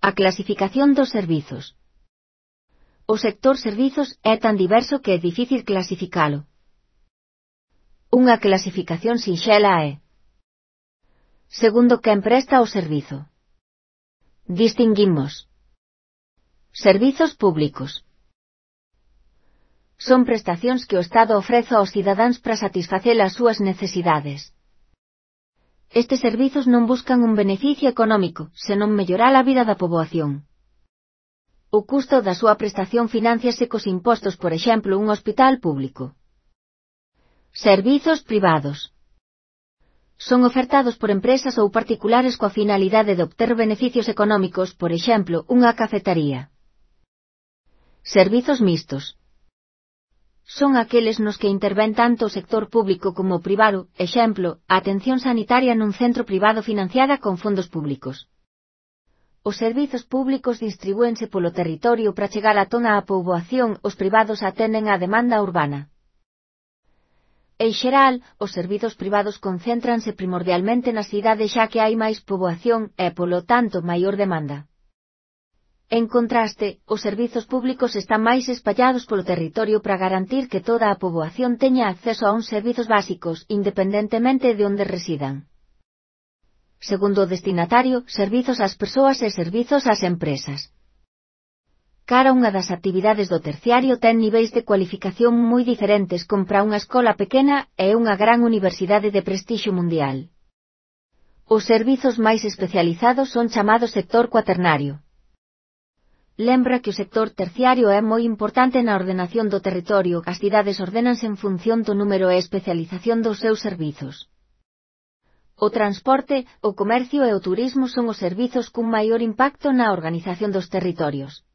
A clasificación dos servizos. O sector servizos é tan diverso que é difícil clasificalo. Unha clasificación sinxela é: segundo quen presta o servizo. Distinguimos servizos públicos. Son prestacións que o Estado ofrece aos cidadáns para satisfacer as súas necesidades. Estes servizos non buscan un beneficio económico, senón mellorar a vida da poboación. O custo da súa prestación finánciase cos impostos, por exemplo, un hospital público. Servizos privados. Son ofertados por empresas ou particulares coa finalidade de obter beneficios económicos, por exemplo, unha cafetaría. Servizos mixtos. Son aqueles nos que intervén tanto o sector público como o privado, exemplo, a atención sanitaria nun centro privado financiada con fondos públicos. Os servizos públicos distribúense polo territorio para chegar a toda a poboación, os privados atenden á demanda urbana. En xeral, os servizos privados concéntranse primordialmente nas cidades xa que hai máis poboación e, polo tanto, maior demanda. En contraste, os servizos públicos están máis espallados polo territorio para garantir que toda a poboación teña acceso a uns servizos básicos, independentemente de onde residan. Segundo o destinatario, servizos ás persoas e servizos ás empresas. Cada unha das actividades do terciario ten niveis de cualificación moi diferentes compra unha escola pequena e unha gran universidade de prestixio mundial. Os servizos máis especializados son chamados sector cuaternario. Lembra que o sector terciario é moi importante na ordenación do territorio, as cidades ordénanse en función do número e especialización dos seus servizos. O transporte, o comercio e o turismo son os servizos cun maior impacto na organización dos territorios.